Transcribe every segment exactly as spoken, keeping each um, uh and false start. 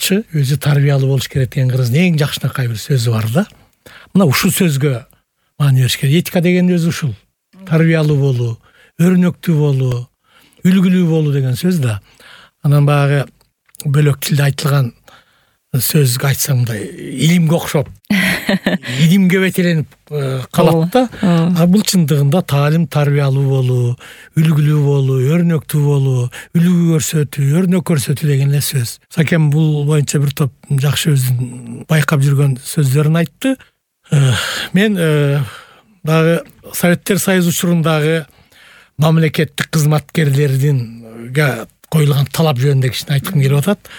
жакшы, өзү тарбиялуу болуш керек деген кыргыздын эң жакшынакай бир сөзү бар да. Мына ушул сөзгө маани бериш керек. Этика деген өзү ушул. Тарбиялуу болуу, өрнөктүү болуу, үлгүлүү болуу деген сөз да. Анан баягы бөлөк тилде айтылган сөзгө айтсам мындай илимге окшоп, илимге бетеленип калат да. А бул чындыгында таалим тарбиялуу болуу, үлгүлүү болуу, өрнөктүү болуу, үлгү көрсөтүү, өрнөк көрсөтүү деген эле сөз. Сакем бул боюнча бир топ жакшы өзүнүн байкап жүргөн сөздөрүн айтты. Мен дагы Советтер Союзу учурундагы мамлекеттик кызматкерлердин коюлган талап жөнүндө кичине айткым келип атат.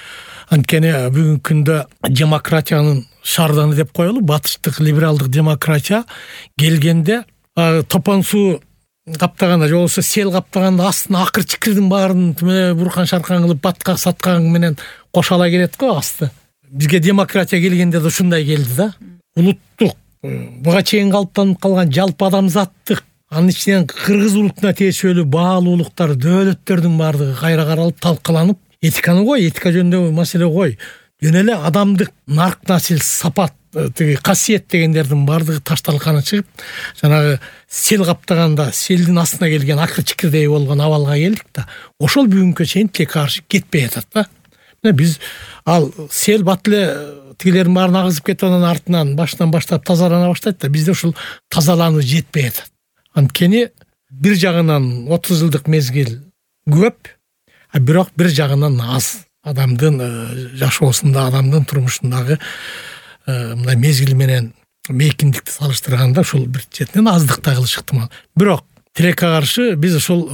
Анткени бүгүнкү күндө демократиянын шарданы деп коелу, батыштык либералдык демократия келгенде топон суу каптаганда же болбосо сел каптаганда астына акыр чикирдин баарын буркан шаркан кылып баткак саткан менен кошо ала келет го асты. Бизге демократия келгенде да ушундай келди да. Улуттук, буга чейин калыптанып калган жалпы адамзаттык, анын ичинен кыргыз улутуна тиешелүү баалуулуктар, дөөлөттөрдүн баардыгы кайра каралып, талкаланып, этиканы кой, этика жөнүндө маселе кой. Жөн эле адамдык нарк насил, сапат, тиги касиет дегендердин баардыгы ташталканы чыгып, жанагы сел каптаганда селдин астына келген акыр чикирдей болгон абалга келдик да. Ошол бүгүнкү чейин тилекке каршы кетпей атат да. Мына биз ал сел бат эле тигилердин баарын агызып кетип анан артынан башынан баштап тазалана баштайт да. Бизде ушул тазалануу жетпей атат. Анткени бир жагынан отуз жылдык мезгил көп, а бирок бир жагынан аз. Адамдын жашоосунда, адамдын турмушундагы мындай мезгил менен мейкиндикти салыштырганда ушул бир четинен аздыкта кылышы ыктымал. Бирок тилекке каршы биз ушул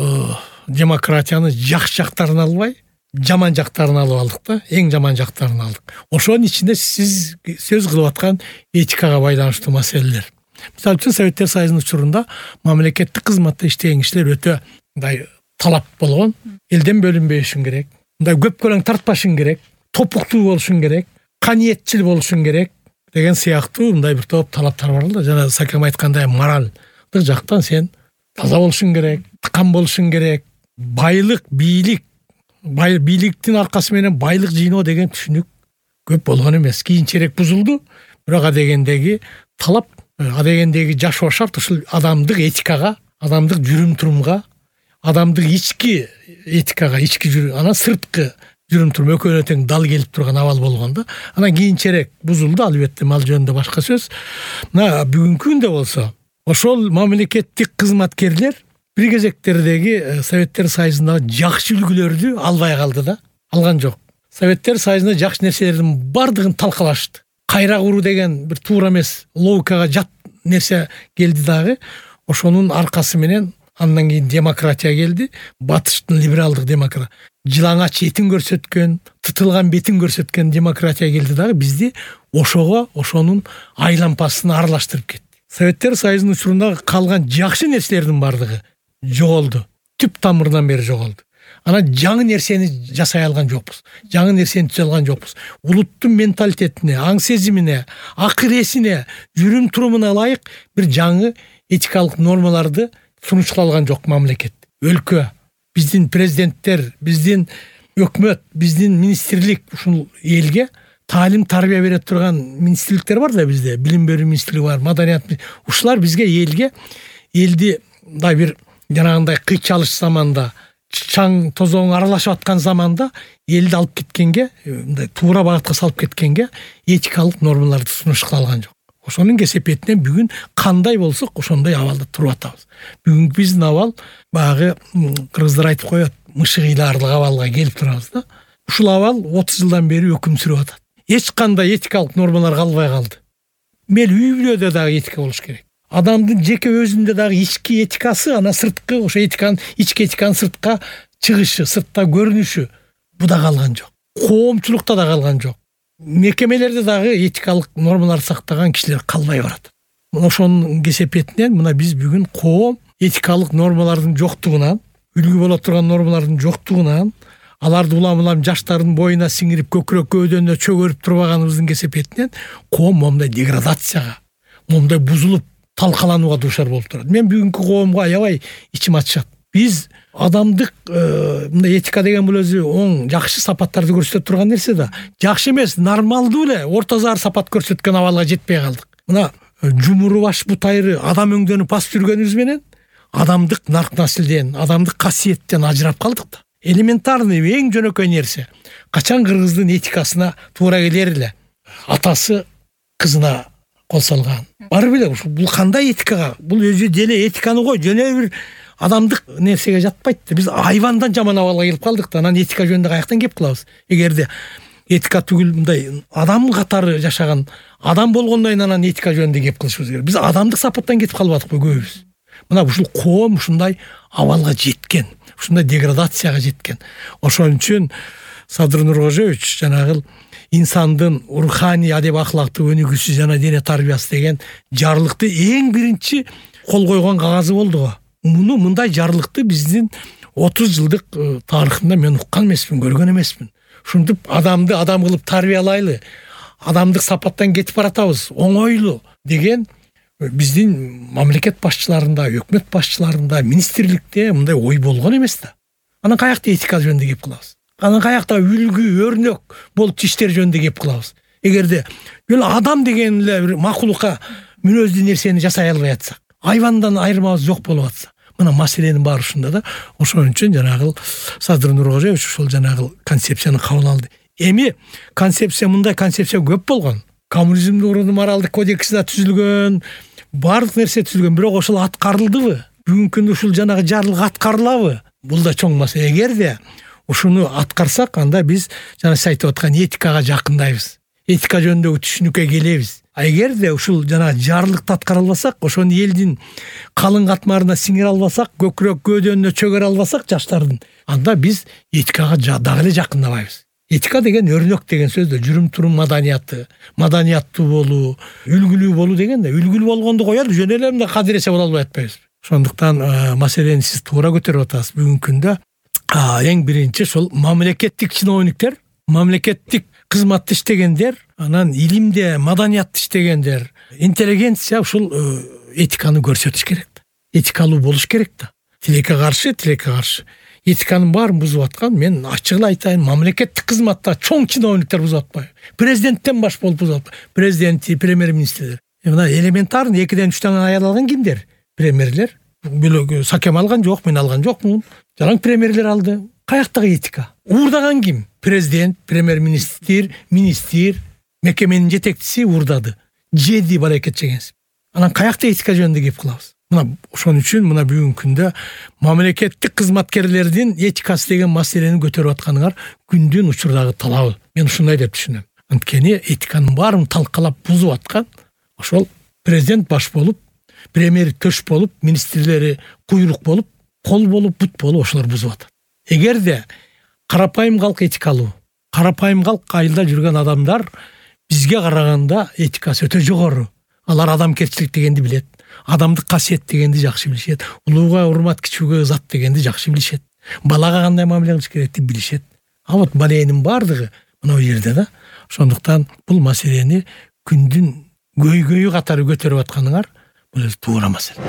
демократияны жакшы жактарын албай, жаман жактарын алып алдык да, эң жаман жактарын алдык. Ошонун ичинде сиз сөз кылып аткан этикага байланыштуу маселелер. Мисалы үчүн Советтер Союзунун учурунда мамлекеттик кызматта иштеген кишилер өтө мындай талап болгон. Элден бөлүнбөшүң керек, мындай көп көлөң тартпашың керек, топуктуу болушуң керек, каниетчил болушуң керек деген сыяктуу мындай бир топ талаптар бар да. Жана Сакем айткандай моралдык жактан сен таза болушуң керек, тыкан болушуң керек, байлык, бийлик, бийликтин аркасы менен байлык жыйноо деген түшүнүк көп болгон эмес. Кийинчерээк бузулду, бирок адегендеги талап, адегендеги жашоо шарт ушул адамдык этикага, адамдык жүрүм-турумга, адамдык ички этикага, ички жүрүм, анан сырткы жүрүм-турум экөөнө тең дал келип турган абал болгон да. Анан кийинчерээк бузулду, албетте, ал жөнүндө башка сөз. Мына бүгүнкү күндө болсо, ошол мамлекеттик кызматкерлер бир кезектердеги Советтер Союзундагы жакшы үлгүлөрдү албай калды да, алган жок. Советтер Союзунда жакшы нерселердин бардыгын талкалашты. Кайра куруу деген бир туура эмес, логикага жат нерсе келди дагы. Ошонун аркасы менен андан кийин демократия келди. Батыштын либералдык демократия, жылаңач этин көрсөткөн, тытылган бетин көрсөткөн демократия келди дагы бизди ошого, ошонун айлампасын аралаштырып кетти. Советтер Союзунун учурунда калган жакшы нерселердин бардыгы жоголду. Түп тамырынан бери жоголду. Анан жаңы нерсени жасай алган жокпуз. Жаңы нерсени түзө алган жокпуз. Улуттун менталитетине, аң сезимине, акыл эсине, жүрүм-турумуна ылайык бир жаңы этикалык нормаларды сунуштала алган жок мамлекет. Өлкө, биздин президенттер, биздин өкмөт, биздин министрлик ушул элге таалим тарбия бере турган министрликтер бар да бизде. Билим берүү министрлиги бар, маданият. Ушулар бизге элге элди мындай бир жанагындай кыйчалыш заманда, чаң тозоң аралашып аткан заманда элди алып кеткенге, мындай туура багытка салып кеткенге этикалык нормаларды сунуштала алган жок. Ошонун кесепетинен бүгүн кандай болсок ошондой абалда туруп атабыз. Бүгүнкү биздин абал баягы кыргыздар айтып коет, мышык ыйлаарлык абалга келип турабыз да. Ушул абал отуз жылдан бери өкүм сүрүп атат. Эч кандай этикалык нормалар калбай калды. Мел үй бүлөдө дагы этика болуш керек. Адамдын жеке өзүндө дагы ички этикасы, анан сырткы, ошо этиканын, ички этиканын сыртка чыгышы, сыртта көрүнүшү бу да калган жок. Коомчулукта да калган жок. Мекемелерде дагы этикалык нормалар сактаган кишилер калбай барат. Ошонун кесепетинен мына биз бүгүн коом этикалык нормалардын жоктугунан, үлгү боло турган нормалардын жоктугунан, аларды улам-улам жаштардын боюна сиңирип көкүрөк көөдөнө чөгөрүп турбаганыбыздын кесепетинен коом момундай деградацияга, момундай бузулуп талкаланууга дуушар болуп турат. Мен бүгүнкү коомго аябай ичим ачышат. биз адамдык мындай этика деген бул өзү оң жакшы сапаттарды көрсөтө турган нерсе да. Жакшы эмес, нормалдуу эле орто зар сапат көрсөткөн абалга жетпей калдык. Мына жумуру баш бутайры адам өңдөнүп басып жүргөнүбүз менен адамдык нарк наслден, адамдык касиеттен ажырап калдык да. Элементарный эң жөнөкөй нерсе. Качан кыргыздын этикасына туура келер эле. Атасы кызына кол салган. Барбы эле бул кандай этикага? Бул өзү деле этиканы кой, жөнө бир адамдык нерсеге жатпайт да. Биз айвандан жаман абалга келип калдык да. Анан этика жөнүндө каяктан кеп кылабыз? Эгерде этика түгүл мындай адам катары жашаган адам болгондон кийин анан этика жөнүндө кеп кылышыбыз керек. Биз адамдык сапаттан кетип калбадыкпы көбүбүз? Мына ушул коом ушундай абалга жеткен, ушундай деградацияга жеткен. Ошон үчүн Садыр Нуркожоевич жанагы инсандын руханий адеп ахлактуу өнүгүүсү жана дене тарбиясы деген жарлыкты эң биринчи кол койгон кагазы болду го. Муну мындай жарлыкты биздин отуз жылдык тарыхында мен уккан эмесмин, көргөн эмесмин. Ушинтип адамды адам кылып тарбиялайлы, адамдык сапаттан кетип баратабыз, оңойлуу деген биздин мамлекет башчыларында, өкмөт башчыларында, министрликте мындай ой болгон эмес да. Анан каякта этика жөнүндө кеп кылабыз? Анан каякта үлгү, өрнөк болуп иштер жөнүндө кеп кылабыз? Эгерде бул адам деген эле бир макулукка мүнөздүү нерсени жасай албай атсак, айвандан айырмабыз жок болуп атса, мына маселенин баары ушунда да. Ошон үчүн жанагы Садыр Нуркожоевич ушул жанагы концепцияны кабыл алды. Эми концепция мындай концепция көп болгон. Коммунизмдин урunu моралдык кодекси да түзүлгөн, баардык нерсе түзүлгөн, бирок ошол аткарылдыбы? Бүгүнкү күндө ушул жанагы жарлык аткарылабы? Бул да чоң маселе. Эгерде ушуну аткарсак, анда биз жана сиз айтып аткан этикага жакындайбыз. Этика жөнүндөгү түшүнүккө келебиз. А эгерде ушул жана жарлыкты аткара албасак, ошону элдин калың катмарына сиңире албасак, көкүрөк көөдөнүнө чөгөрө албасак жаштардын, анда биз этикага дагы эле жакындабайбыз. Этика деген өрнөк деген сөз да, жүрүм турум маданияты, маданияттуу болуу, үлгүлүү болуу деген да. Үлгүлүү болгонду коелу, жөн эле мындай кадыресе боло албай атпайбыз. Ошондуктан маселени сиз туура көтөрүп атасыз. Бүгүнкү күндө эң биринчи ошол мамлекеттик чиновниктер, мамлекеттик кызматты иштегендер, анан илимде, маданиятты иштегендер, интеллигенция ушул этиканы көрсөтүш керек да. Этикалуу болуш керек да. Тилекке каршы, тилекке каршы. Этиканын баарын бузуп аткан, мен ачык эле айтайын, мамлекеттик кызматта чоң чиновниктер бузуп атпайбы? Президенттен баш болуп бузуп атпайбы? Президенти, премьер-министрлер. Мына элементарный экиден үчтөн аял алган кимдер? Премьерлер. Бөлөк сакем алган жок, мен алган жокмун. Жараң премьерлер алды. Каяктагы этика? Уурдаган ким? Президент, премьер-министр, министр, мекеменин жетекчиси уурдады. Жеди баракет жегенсип. Анан каякта этика жөнүндө кеп кылабыз? Мына ошон үчүн мына бүгүнкү күндө мамлекеттик кызматкерлердин этикасы деген маселени көтөрүп атканыңар күндүн учурдагы талабы. Мен ушундай деп түшүнөм. Анткени этиканын баарын талкалап бузуп аткан ошол президент баш болуп, премьер төш болуп, министрлери куйрук болуп, кол болуп, бут болуп ошолор бузуп атат. Эгерде карапайым калк этикалуу, карапайым калк айылда жүргөн адамдар бизге караганда этикасы өтө жогору. Алар адамкерчилик дегенди билет, адамдык касиет дегенди жакшы билишет, улууга урмат, кичүүгө ызат дегенди жакшы билишет, балага кандай мамиле кылыш керекти билишет. А вот баленин баардыгы мына бул жерде да. Ошондуктан бул маселени күндүн көйгөйү катары көтөрүп атканыңар бул туура маселе.